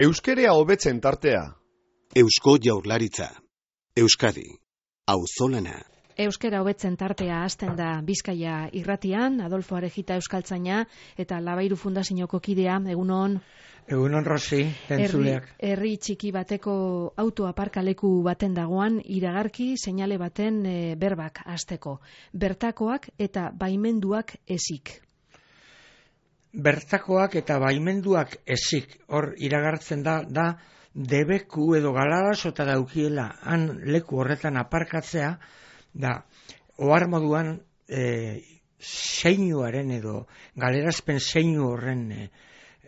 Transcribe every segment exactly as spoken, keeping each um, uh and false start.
Euskerea hobetzen tartea. Eusko Jaurlaritza. Euskadi. Auzolana. Euskera hobetzen tartea hasten da Bizkaia irratian, Adolfo Arejita euskaltzaina eta Labairu Fundazioko kidea, egunon. Egunon Rosi, entzuleak. Herri, herri txiki bateko autoaparkaleku baten dagoan, iragarki seinale baten e, berbak hasteko. Bertakoak eta baimenduak ezik. Bertakoak eta baimenduak ezik, hor iragartzen da, da debeku edo galarazota daukiela han leku horretan aparkatzea, da ohar moduan e, seinuaren edo galerazpen seinu horren e,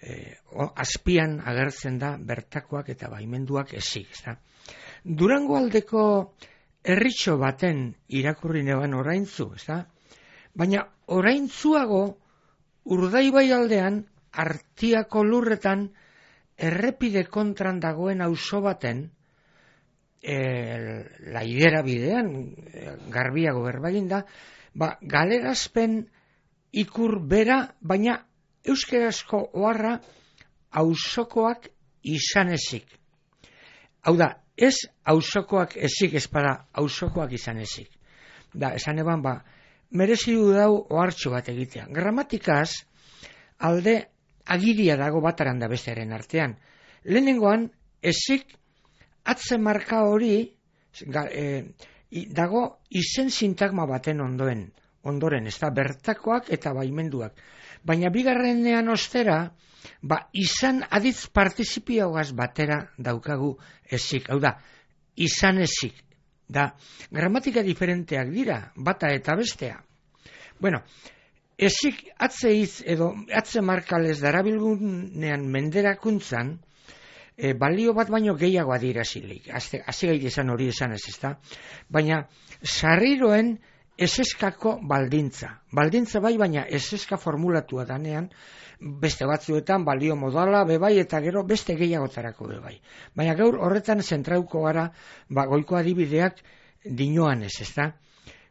e, azpian agertzen da bertakoak eta baimenduak ezik. Da. Durango aldeko herritxo baten irakurri neban oraintzu, ezta? Baina oraintzuago Urdaibai aldean, Artiako lurretan, errepide kontran dagoen auzo baten, e, laidera bidean, e, garbiago berbagin da, ba, galerazpen ikur bera, baina euskerazko oharra auzokoak izan ezik. Hau da, ez auzokoak ezik ezpada auzokoak izan ezik. Da, esan eban, ba, merezi du dau ohartxo bat egitea. Gramatikaz, alde agiria dago bataran da bestearen artean. Lehenengoan, ezik atze marka hori ga, e, dago izen sintagma baten ondoen, ondoren, ez da, bertakoak eta baimenduak. Baina bigarrenean ostera, ba, izan aditz partizipioagaz batera daukagu ezik. Hau da, izan ezik. Da, gramatika diferenteak dira, bata eta bestea. Bueno, ezik atze hitz edo atze markalez darabilgunean menderakuntzan, e, balio bat baino gehiago adierazilik. Hasi gaite esan hori esan ez ezta. Baina, sarriroen eseskako baldintza. Baldintza bai, baina eseska formulatua danean, beste batzuetan balio modala bebai eta gero beste gehiagotarako bebai. Baina gaur horretan zentrauko gara, ba, goiko adibideak dinoan ez, ezta?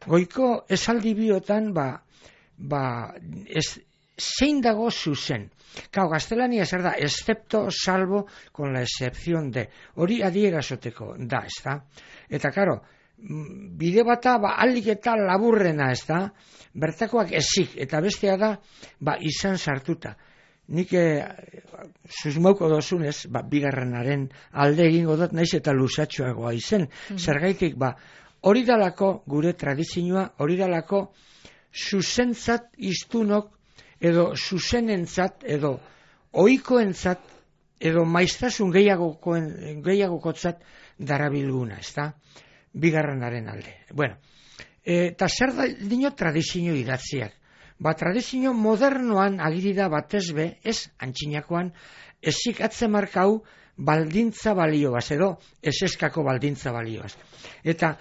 Goiko esaldi biotan, ba, ba, ez, zein dago zuzen. Kau, gaztelania zer da, excepto, salvo, con la excepción de. Hori adierazoteko da, ezta? Eta, karo, bide bata, ba, alik eta laburrena, ezta? Bertakoak ezik, eta bestea da, ba, izan sartuta. Nik e, susmauko dozunez, ba, bigarrenaren alde egingo dut, naiz eta lusatxoagoa izen. Mm-hmm. Zergaitik, ba, hori dalako gure tradizioa, hori dalako zuzentzat iztunok, edo zuzenentzat, edo ohikoentzat, edo maiztasun gehiagokotzat darabilguna, ezta? Bigarrenaren alde. Bueno, eta zer da dino tradizio idatziak? Ba, tradizio modernoan agirida batez be, ez antxinakoan, ezik atzemarkau baldintza balioaz, edo eseskako baldintza balioaz. Eta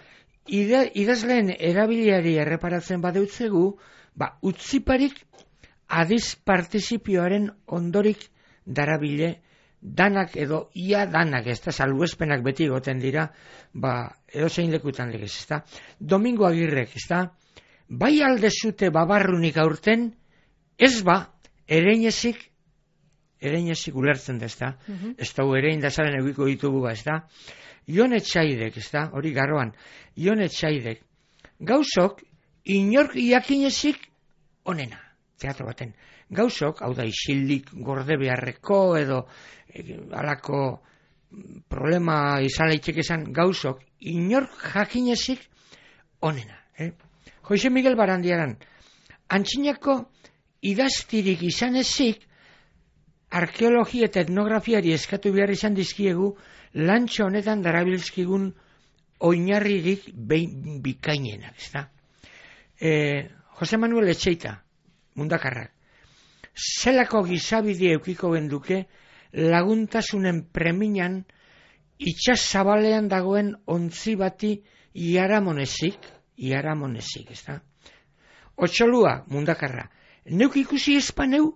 ide, idazleen erabiliari erreparatzen badeutzegu, ba, utziparik adiz partizipioaren ondorik darabile danak edo ia danak, ez da, salbuespenak beti goten dira, ba, edo zein lekutan legez, ez da. Domingo Agirrek, ez da, bai alde zute babarrunik aurten, ez ba, ereinezik, ereinezik ulertzen da, ez da, mm-hmm. Ez da, erein da zaren egiko ditugu ba, ez da. Ion Etxaidek, ez da, hori garroan, Ion Etxaidek, gauzok, inork iakinezik onena, teatro baten. Gauzok, hau da, isildik gorde beharreko edo e, alako problema izan leitxek esan, gauzok, inork jakinezik onena, eh? Jose Miguel Barandiaran, antxinako idaztirik izan ezik, arkeologia eta etnografiari eskatu behar izan dizkiegu, lantxo honetan darabilzkigun oinarririk behin bikainenak, ezta? E, Jose Manuel Etxeita, mundakarrak, zelako gizabide eukiko genduke laguntasunen preminan itxas zabalean dagoen ontzi bati iaramonezik, iaramonezik, ez da? Otxolua, mundakarra, neuk ikusi espaneu,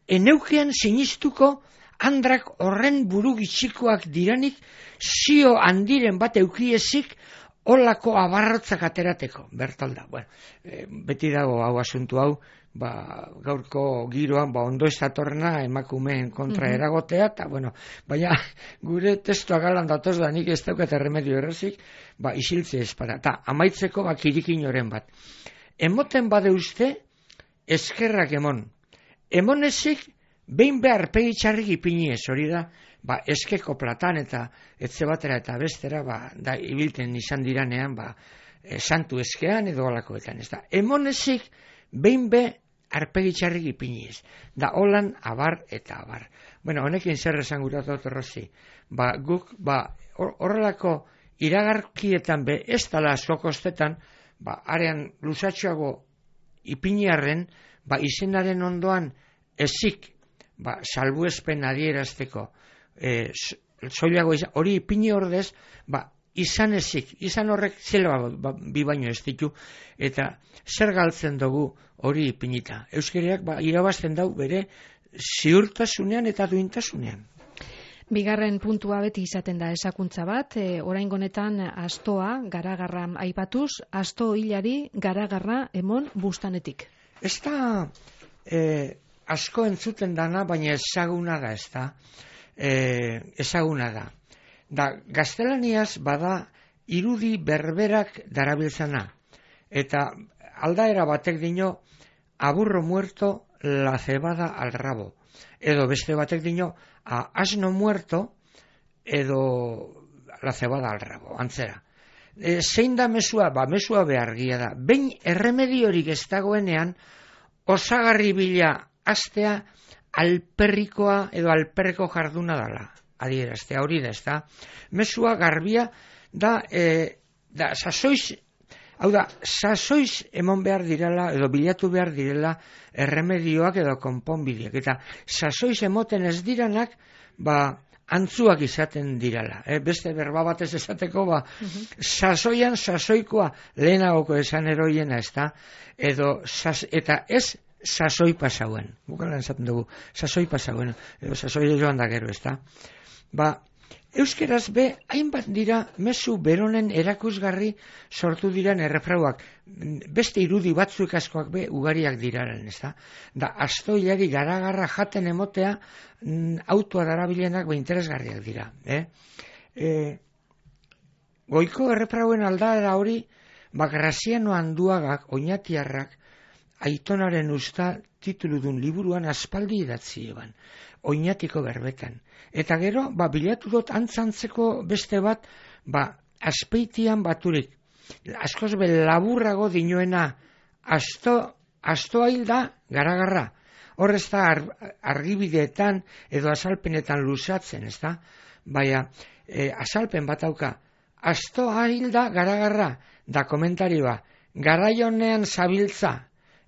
eneukean sinistuko andrak horren buru gitxikoak diranik, zio handiren bat eukiezik, olako abarrotzak aterateko, bertalda. Bueno, e, beti dago hau asuntu hau, ba, gaurko giroan, ba, ondo ez datorrena emakumeen kontra mm-hmm. eragotea, eta, bueno, baina gure testua galan datoz da, nik ez daukat erremedio errazik, ba, isiltze espada. Ta, amaitzeko, ba, kirikin oren bat. Emoten bade uste, eskerrak emon. Emon ezik, behin behar pegitxarrik ipini ez, hori da, ba, eskeko platan eta etze batera eta bestera, ba, da, ibilten izan diranean, ba, e, santu eskean edo alakoetan, ez da. Emon ezik, behin be, arpegitxarrik ipini ez. Da, holan, abar eta abar. Bueno, honekin zer esan guratu otorrozi. Ba, guk, ba, horrelako iragarkietan be, ez dala asko kostetan, ba, arean lusatxoago ipiniarren, ba, izenaren ondoan ezik, ba, salbuespen adierazteko, e, zoilago izan, hori ipini ordez, ba, izan ezik, izan horrek zela ba, bi baino ez ditu, eta zer galtzen dugu hori ipinita. Euskariak ba, irabazten dau bere ziurtasunean eta duintasunean. Bigarren puntua beti izaten da esakuntza bat, e, oraingo honetan astoa garagarra aipatuz, asto hilari garagarra emon bustanetik. Ez da e, asko entzuten dana, baina ezaguna da, ez da, e, ezaguna da. Da, gaztelaniaz bada irudi berberak darabiltzana, eta aldaera batek dino, aburro muerto la cebada al rabo, edo beste batek dino, a asno muerto edo la cebada al rabo, antzera. E, zein da mesua? Ba, mesua behargia da. Behin erremediorik ez dagoenean, osagarri bila astea alperrikoa edo alperreko jarduna dala. Adieraztea hori da, ez da. Mesua garbia da, e, da sasoiz, hau da, sasoiz emon behar direla edo bilatu behar direla erremedioak edo konponbideak. Eta sasoiz emoten ez diranak, ba, antzuak izaten direla. E, beste berba batez esateko, ba, uh-huh. sasoian sasoikoa lehenagoko esan eroiena, ez da, edo, sas, eta ez sasoi pasauen. Bukalan esaten dugu, sasoi pasauen, edo sasoi joan da gero, ez da. Ba, euskeraz be, hainbat dira mezu beronen erakusgarri sortu diran errefrauak. Beste irudi batzuk askoak be ugariak diraren, ez da. Da, astoilari garagarra jaten emotea mm, autoa darabilenak be interesgarriak dira. Eh? E, goiko errefrauen aldaera hori, ba, Graziano Anduagak, oinatiarrak, Aitonaren usta tituludun liburuan aspaldi idatzi eban, oinatiko berbetan. Eta gero, ba, bilatu dut antzantzeko beste bat, ba, azpeitian baturik, askoz be laburrago dinoena, asto, astoa hilda garagarra. Horrez da ar, argibideetan edo azalpenetan luzatzen, ez da? Baina, e, azalpen bat auka, astoa hilda garagarra, da komentarioa, garaionean zabiltza,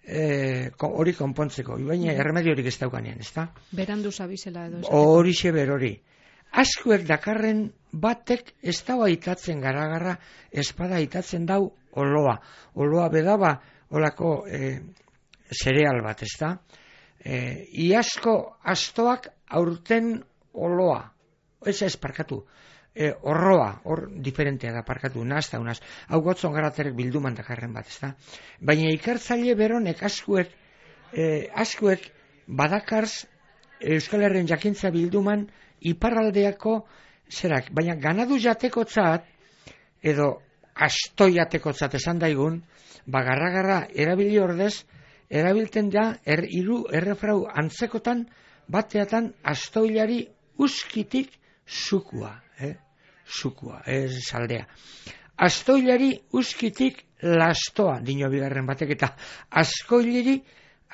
E, hori konpontzeko, baina erremediorik ez daukanean, ez da? Berandu zabizela edo. Hori xe berori. Askuek dakarren batek ez dau aitatzen garagarra, espada aitatzen dau oloa. Oloa bedaba olako e, zereal bat, ez da? E, iasko astoak aurten oloa. Ez ez parkatu. E, horroa, hor diferentea da parkatu, nahazta unaz, hau gotzon garaterek bilduman dakarren bat, ez da? Baina ikertzaile beronek askuek, e, askuek badakarz Euskal Herrien jakintza bilduman iparraldeako zerak, baina ganadu jatekotzat, edo asto jatekotzat esan daigun, bagarra-garra erabili ordez, erabilten da, er, iru errefrau antzekotan, bateatan astoilari uskitik sukua, eh? Sukua, ez saldea. Astoilari uskitik lastoa, dino bigarren batek, eta askoilari,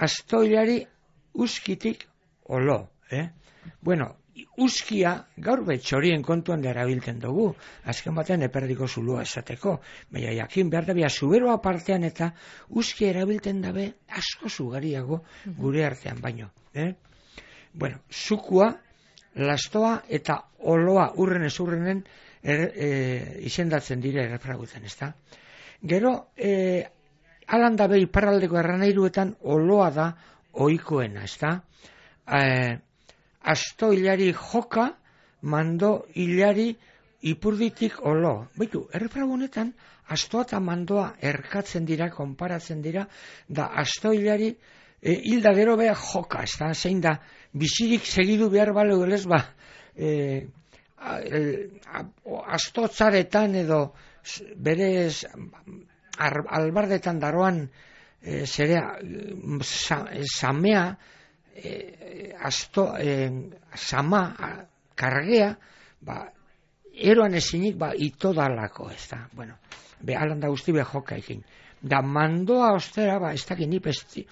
astoilari uskitik olo. Eh? Bueno, uskia gaur betxorien kontuan da erabiltzen dugu, azken batean eperdiko zulua esateko, baina jakin behar da bia zuberoa partean eta uskia erabiltzen dabe asko zugariago gure artean baino. Eh? Bueno, sukua, lastoa eta oloa urren ez urrenen er, e, izendatzen dire errefragutzen, ez da? Gero, e, alan dabe iparraldeko erranairuetan oloa da ohikoena, ez da? E, asto hilari joka, mando hilari ipurditik olo. Baitu, errefragu honetan, astoa eta mandoa erkatzen dira, konparatzen dira, da astoilari e, hilda gero beha joka, ez da, zein da, bizirik segidu behar bale gelez, ba, e, astotzaretan edo bere albardetan daroan e, zerea sa, samea e, asto e, sama kargea ba, eroan ezinik ba, ito dalako ez da, bueno, be alanda guzti be joka ekin da mandoa ostera, ba, ez dakit nip esti,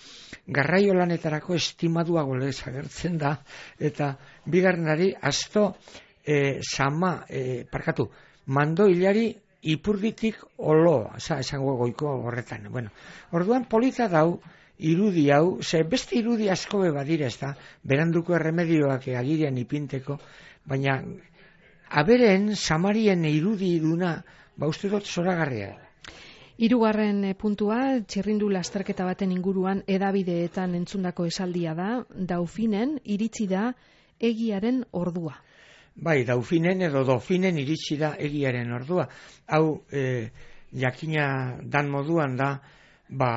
garraio lanetarako estimadua golez agertzen da eta bigarrenari asto e, sama, e, parkatu mando hilari ipurditik olo, esango goiko horretan. Bueno, orduan polita dau, irudi hau, ze beste irudi asko beba dire, ez da, beranduko erremedioak agirian ipinteko, baina aberen samarien irudi iduna, ba uste dut zoragarria. Hirugarren puntua, txirrindu lasterketa baten inguruan edabideetan entzundako esaldia da, Daufinen iritsi da egiaren ordua. Bai, Daufinen edo Dofinen iritsi da egiaren ordua. Hau, e, jakina dan moduan da, ba,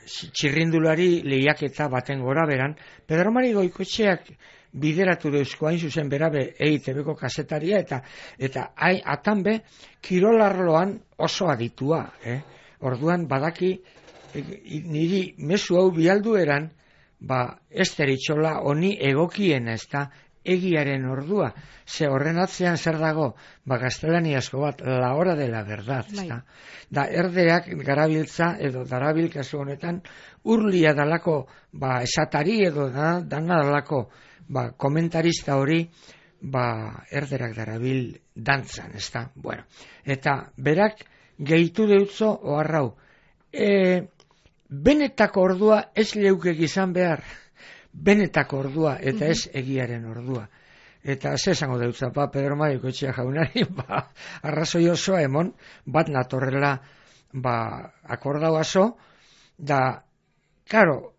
txirrindulari lehiaketa baten gora beran, Pedro Mari Goikoetxeak bideratu deuzko hain zuzen berabe E I T B-ko kasetaria, eta eta hai, atan be, kirolarloan oso aditua. Eh? Orduan, badaki, e, niri mezu hau bialdu eran, ba, ez deritxola honi egokien ez da, egiaren ordua, ze horren atzean zer dago, ba gaztelaniazko bat, la hora de la verdad, da, da erdeak garabiltza, edo darabil kasu honetan, urlia dalako, ba esatari edo da, dana dalako, ba komentarista hori, ba erderak darabil dantzan, ez da, bueno, eta berak gehitu deutzo oharrau, e, benetako ordua ez leukek izan behar, benetako ordua, eta ez egiaren ordua. Eta ze esango deutza, ba, Pedro Mari Goikoetxea jaunari, ba, arrazoi osoa emon, bat natorrela, ba, akordau aso, da, karo,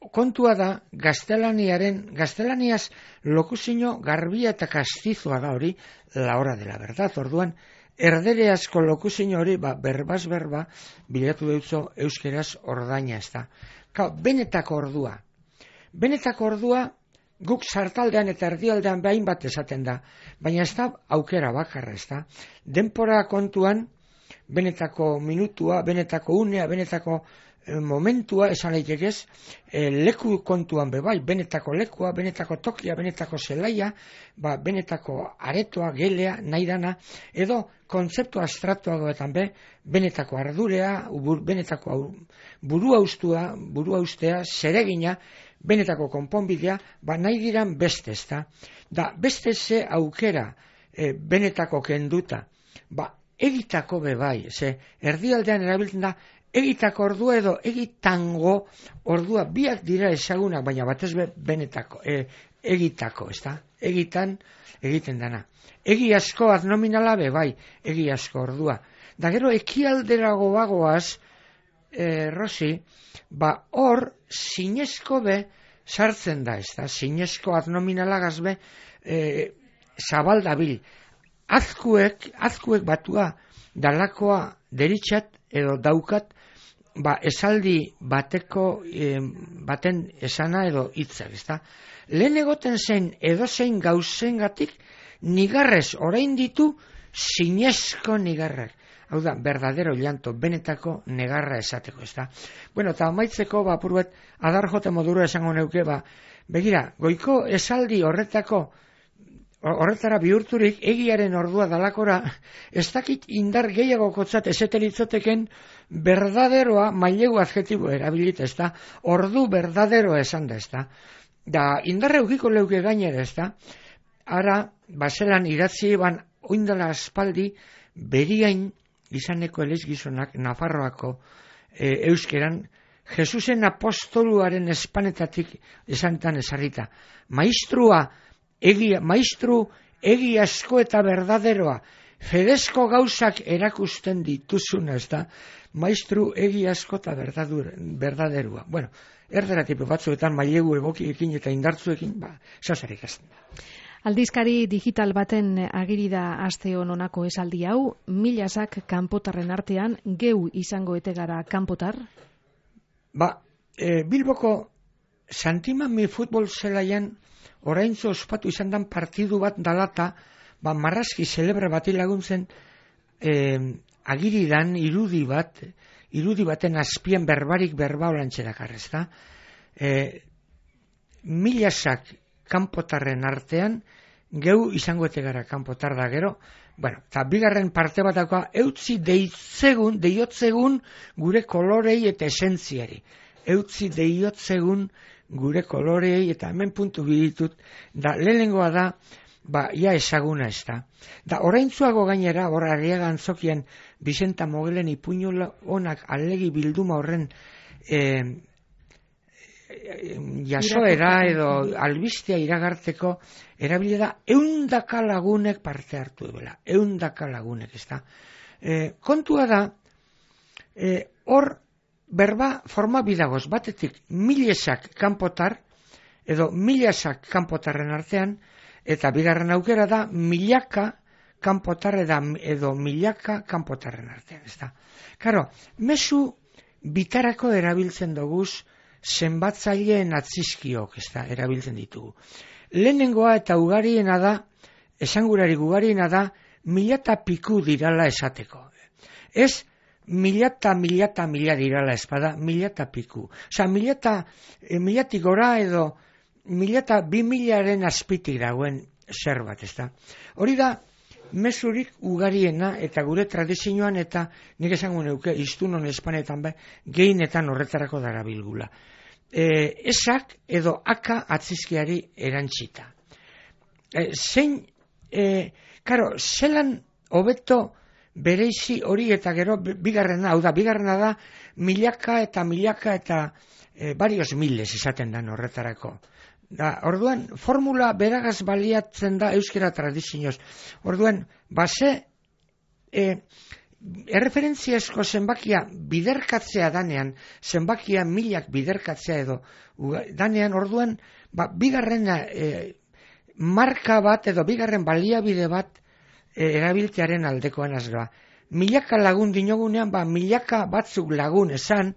kontua da, gaztelaniaren, gaztelaniaz lokuzino garbia eta kastizoa da hori, la hora de la verdad, orduan, erdereazko lokuzino hori, ba, berbaz berba, bilatu deutzo euskeraz ordaina ez da. Kau, benetako ordua, Benetako ordua guk sartaldean eta erdialdean behin bat esaten da, baina ez da aukera bakarra, ez da. Denpora kontuan, benetako minutua, benetako unea, benetako eh, momentua, esan leitekez, eh, leku kontuan bebai, benetako lekua, benetako tokia, benetako zelaia, ba, benetako aretoa, gelea, nahi dana, edo kontzeptu abstraktuagoetan be, benetako ardurea, bur, benetako burua ustua, burua ustea, zeregina, benetako konponbidea, ba nahi diran beste, ez da. Da, beste ze aukera e, benetako kenduta, ba egitako bebai, ze erdialdean erabiltzen da, egitako ordua edo egitango ordua, biak dira ezagunak, baina batez be benetako, e, egitako, ez da, egitan egiten dana. Egi asko adnominala bebai, egi asko ordua. Da gero ekialderago bagoaz, e, Rosi, ba hor zinezko be sartzen da, ez da, zinezko adnominalagaz be e, zabaldabil. Azkuek, azkuek batua dalakoa deritxat edo daukat, ba esaldi bateko e, baten esana edo hitzak, ez da. Lehen egoten zen edozein gauzengatik nigarrez orain ditu zinezko nigarrak. Hau da, verdadero llanto, benetako negarra esateko, ez da. Bueno, eta amaitzeko, ba, purbet, adar jote modura esango neuke, ba, begira, goiko esaldi horretako, horretara bihurturik, egiaren ordua dalakora, ez dakit indar gehiago kotzat esetelitzoteken, berdaderoa, mailegu adjetibo erabilita, ez da, ordu berdaderoa esan da, ez da. Da, indarre eukiko leuke gainera, ez da, ara, baselan idatzi, ban, oindala aspaldi, beriain, izaneko elezgizonak Nafarroako e, euskeran Jesusen apostoluaren espanetatik esantan esarrita. Maestrua, egia, maestru egi asko eta berdaderoa, fedezko gauzak erakusten dituzuna, ez da, maestru egi asko eta berdaderua. Bueno, erderatipo batzuetan mailegu egokiekin eta indartzuekin, ba, zazarik azten da. Aldizkari digital baten agiri da aste hononako esaldi hau, milazak kanpotarren artean geu izango ete gara kanpotar? Ba, e, Bilboko Santimami futbol zelaian oraintzo ospatu izan dan partidu bat dalata, ba, marrazki celebre bati laguntzen e, agiri dan irudi bat, irudi baten azpian berbarik berba olantxerak arrezta. E, milazak kanpotarren artean, geu izango ete gara kanpotar da gero, bueno, eta bigarren parte bat dagoa, eutzi deitzegun, deiotzegun gure kolorei eta esentziari. Eutzi deiotzegun gure kolorei, eta hemen puntu biditut, da lehenengoa da, ba, ia ezaguna ez da. Da, oraintzuago gainera, hor Arriaga Antzokian, Bizenta Mogelen ipuñola onak alegi bilduma horren, eh, jasoera edo albistea iragartzeko erabile da eundaka lagunek parte hartu duela, eundaka lagunek, ez da. E, kontua da, e, hor berba forma bidagoz, batetik milezak kanpotar, edo milezak kanpotarren artean, eta bigarren aukera da milaka kanpotar edo milaka kanpotarren artean, ez da. Karo, mezu bitarako erabiltzen doguz, zenbatzaileen atzizkiok, ez da, erabiltzen ditugu. Lehenengoa eta ugariena da, esangurari ugariena da, milata piku dirala esateko. Ez, milata, milata, mila dirala espada, milata piku. Osa, milata, e, milatik gora edo, milata bi milaren azpitik dagoen zer bat, ez da. Hori da, mezurik ugariena eta gure tradizioan eta nik esango neuke iztunon espanetan be, gehienetan horretarako darabilgula. E, esak edo aka atzizkiari erantzita. E, zein, e, karo, zelan hobeto bereizi hori eta gero bigarrena, hau da, bigarrena da milaka eta milaka eta e, varios miles esaten dan horretarako. Da, orduan, formula beragaz baliatzen da euskera tradizioz. Orduan, base, e, erreferentziazko zenbakia biderkatzea danean, zenbakia milak biderkatzea edo danean, orduan, ba, bigarren e, marka bat edo bigarren baliabide bat e, erabiltearen aldekoan azga. Milaka lagun dinogunean, ba, milaka batzuk lagun esan,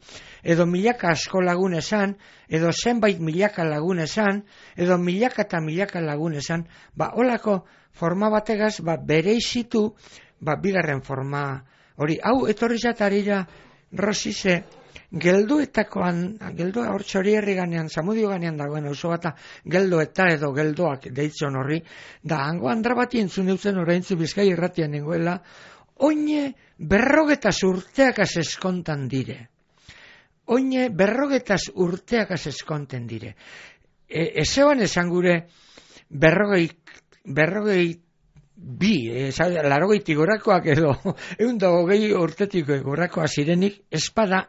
edo milaka asko lagun esan, edo zenbait milaka lagun esan, edo milaka eta milaka lagun esan, ba, holako forma bategaz, ba, bereizitu, ba, bigarren forma hori. Hau, etorri zatarira, Rosize, geldoetakoan, geldoa hor txori herri ganean, Zamudio ganean dagoen oso bata, geldoeta edo geldoak deitzen horri, da, hango andra bati entzun eutzen oraintzu Bizkai irratian nengoela, oine berrogetaz urteakaz eskontan dire. Oine berrogetaz urteakaz eskonten dire. E, Ezeban esan gure berrogei, berrogei bi, e, larogeitik gorakoak edo, egun da hogei urtetik gorakoa zirenik, espada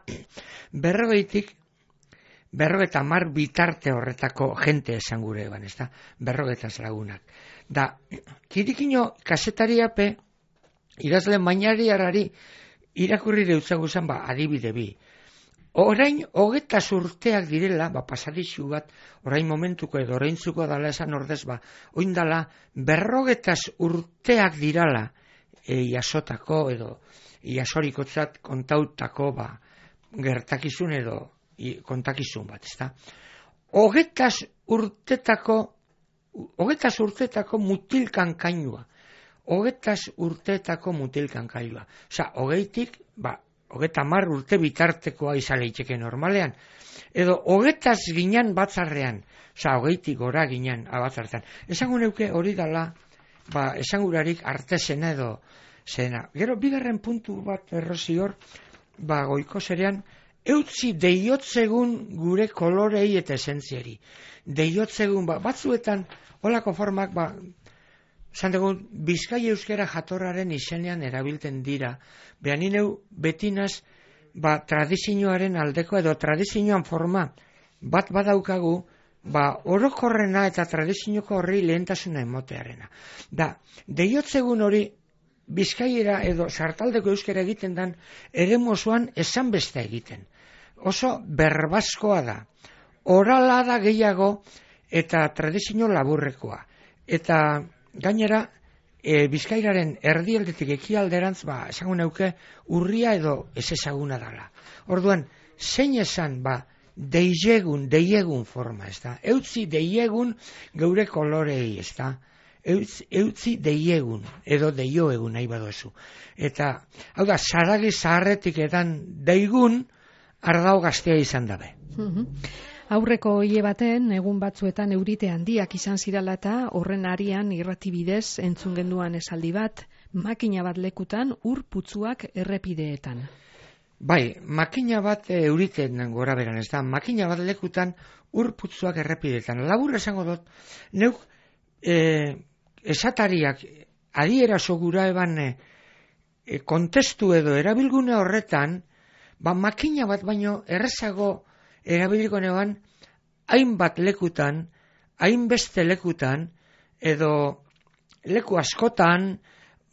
berrogeitik, berrogeta mar bitarte horretako jente esan gure eban, ez da, berrogetaz lagunak. Da, kirikino kasetariape, idazle mainariarari irakurri deutzaguzan, ba, adibide bi. Orain, hogetaz urteak direla, ba, pasadixu bat, orain momentuko edo oraintzuko dala esan ordez, ba, oindala, berrogetaz urteak dirala, e, jasotako edo, jasorikotzat kontautako, ba, gertakizun edo, i, kontakizun bat, ezta. Hogetaz urtetako, hogetaz urtetako mutilkan kainua. Hogetaz urteetako mutilkan kailua. Osa, hogeitik, ba, hogeta mar urte bitartekoa izaleiteke normalean. Edo, hogetaz ginen batzarrean. Osa, hogeitik gora ginen batzartean. Esango neuke hori dala, ba, esangurarik artesena edo zena. Gero, bigarren puntu bat errozi hor, ba, goiko zerean, eutzi deiotzegun gure kolorei eta esentziari. Deiotzegun, ba, batzuetan, holako formak, ba, esan dugu, Bizkai euskera jatorraren izenean erabiltzen dira. Behan ineu betinaz, ba, tradizioaren aldeko edo tradizioan forma bat badaukagu, ba, orokorrena eta tradizioko horri lehentasuna emotearena. Da, deiotzegun hori Bizkaiera edo sartaldeko euskera egiten dan, ere mozuan esan beste egiten. Oso berbazkoa da. Orala da gehiago eta tradizio laburrekoa. eta gainera e, Bizkairaren erdialdetik ekialderantz, ba, esango neuke urria edo ez ezaguna dala. Orduan, zein esan, ba, deiegun, deiegun forma, ez da? Eutzi deiegun geure kolorei, ez da? Eutzi, eutzi deiegun, edo deioegun nahi badozu. Eta, hau da, zaragi zaharretik edan deigun, ardau gaztea izan dabe. Aurreko hile baten, egun batzuetan eurite handiak izan zirala eta horren arian irratibidez entzun genduan esaldi bat, makina bat lekutan ur putzuak errepideetan. Bai, makina bat e, euriten gora beran, ez da, makina bat lekutan ur putzuak errepideetan. Labur esango dut, neuk e, esatariak adieraso gura eban e, e, kontestu edo erabilgune horretan, ba makina bat baino errezago erabiliko neban, hainbat lekutan, hainbeste lekutan, edo leku askotan,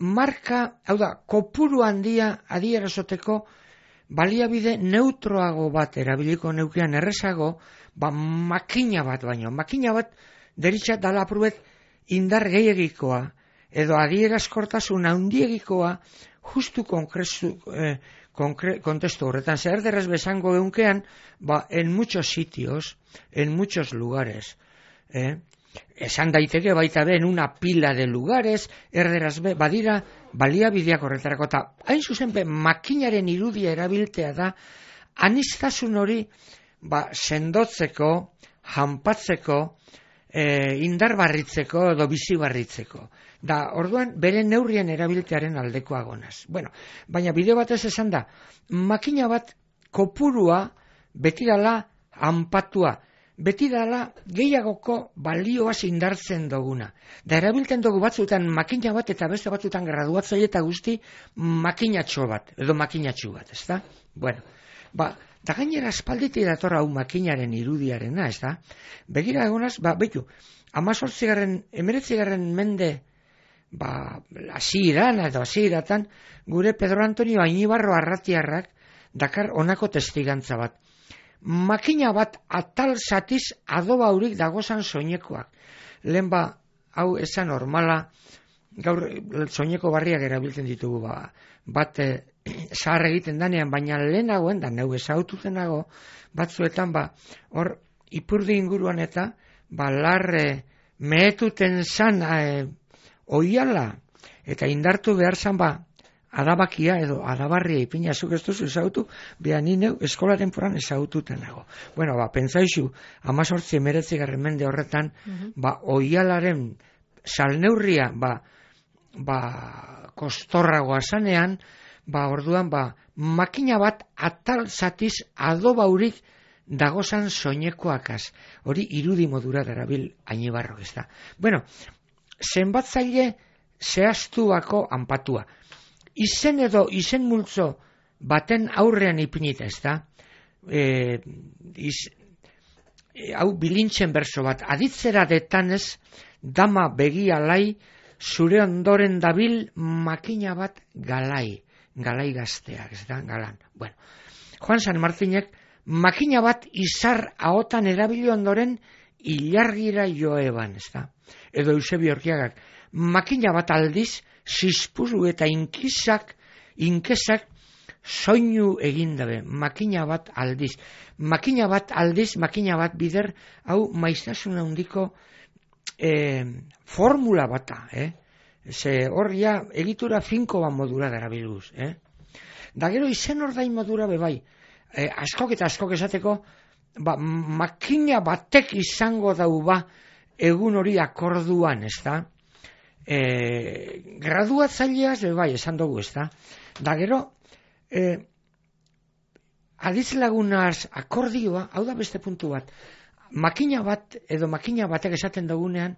marka, hau da, kopuru handia adierazoteko baliabide neutroago bat erabiliko neukean errezago, ba makina bat baino. Makina bat deritxat dala apruet indar gehiagikoa, edo adierazkortasun handiegikoa, justu konkretu, eh, Konkre, kontestu horretan, zer derrez besango eunkean, ba, en muchos sitios, en muchos lugares, eh? Esan daiteke baita be, en una pila de lugares, erderaz be, badira, baliabideak horretarako, eta hain zuzen be, makinaren irudia erabiltea da, aniztasun hori, ba, sendotzeko, janpatzeko, eh, indar barritzeko, edo bizi barritzeko. Da, orduan, bere neurrien erabiltearen aldekoa gonaz. Bueno, baina bideo batez esan da, makina bat kopurua beti dala hanpatua, beti dala gehiagoko balioaz indartzen duguna. Da, erabiltzen dugu batzutan makina bat eta beste batzutan graduatzaile eta guzti makinatxo bat, edo makinatxu bat, ez da? Bueno, ba, da gainera espalditi dator hau makinaren irudiarena, ez da? Begira egonaz, ba, betu, amazortzigarren, emeretzigarren mende, ba, hasieran edo hasieratan gure Pedro Antonio Ainibarro Arratiarrak dakar honako testigantza bat. Makina bat atal zatiz adoba haurik dagozan soinekoak. Lehen ba, hau esan normala, gaur soineko barriak erabiltzen ditugu, ba, bat e, zahar egiten danean, baina lehenagoen, da neu ezaututen nago, batzuetan, ba, hor, ipurdi inguruan eta, ba, larre mehetuten zan, e, oiala, eta indartu behar zan ba, adabakia edo adabarria ipina zuk ez duzu ezautu, beha nineu eskola temporan ezaututen nago. Bueno, ba, pentsaizu, amazortzi emeretzigarren mende horretan, uh-huh. ba, oialaren salneurria, ba, ba, kostorragoa zanean, ba, orduan, ba, makina bat atal zatiz adobaurik dagozan soinekoakaz. Hori irudi modura darabil Ainibarrok, ez da. Bueno, zenbatzaile zehaztuako hanpatua. Izen edo izen multzo baten aurrean ipinita, ez da? E, iz, e, hau bilintzen berso bat. Aditzera detanez, dama begia lai, zure ondoren dabil makina bat galai. Galai gazteak, ez da? Galan. Bueno, Juan San Martinek makina bat izar ahotan erabili ondoren ilargira joeban, ez da? Edo Eusebio Orkiagak, makina bat aldiz, zizpuru eta inkizak, inkesak soinu egindabe, makina bat aldiz. Makina bat aldiz, makina bat bider, hau maiztasun handiko eh, formula bata, eh? Ze hor ja egitura finko bat modura darabiluz, eh? Da gero izen ordain modura bebai, eh, askok eta askok esateko, ba, makina batek izango dau ba, egun hori akorduan, ez da? E, graduatzaileaz, bai, esan dugu, ez da? Da gero, e, adiz lagunaz akordioa, hau da beste puntu bat, makina bat, edo makina batek esaten dugunean,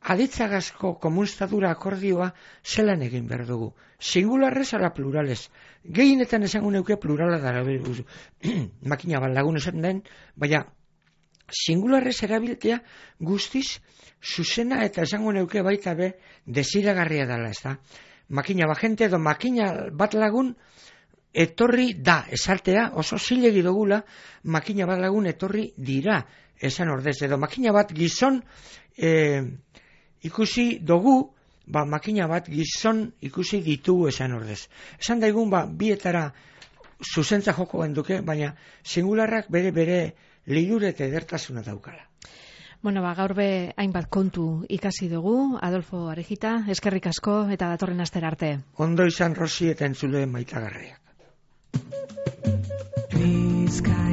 aditzagazko komunstadura akordioa zelan egin behar dugu. Singularrez ala plurales. Gehienetan esango neuke plurala dara makina bat lagun esaten den, baina singularrez erabiltea guztiz zuzena eta esango neuke baita be desiragarria dela, ez da? Makina bat jente edo makina bat lagun etorri da, esartea oso zilegi dugula, makina bat lagun etorri dira, esan ordez, edo makina bat gizon e, ikusi dugu, ba, makina bat gizon ikusi ditugu esan ordez. Esan daigun, ba, bietara zuzentza joko genduke, baina singularrak bere bere lilure eta edertasuna daukala. Bueno, ba, gaur be hainbat kontu ikasi dugu, Adolfo Arejita, eskerrik asko eta datorren astera arte. Ondo izan Rosi eta entzuleen maitagarriak. Rizka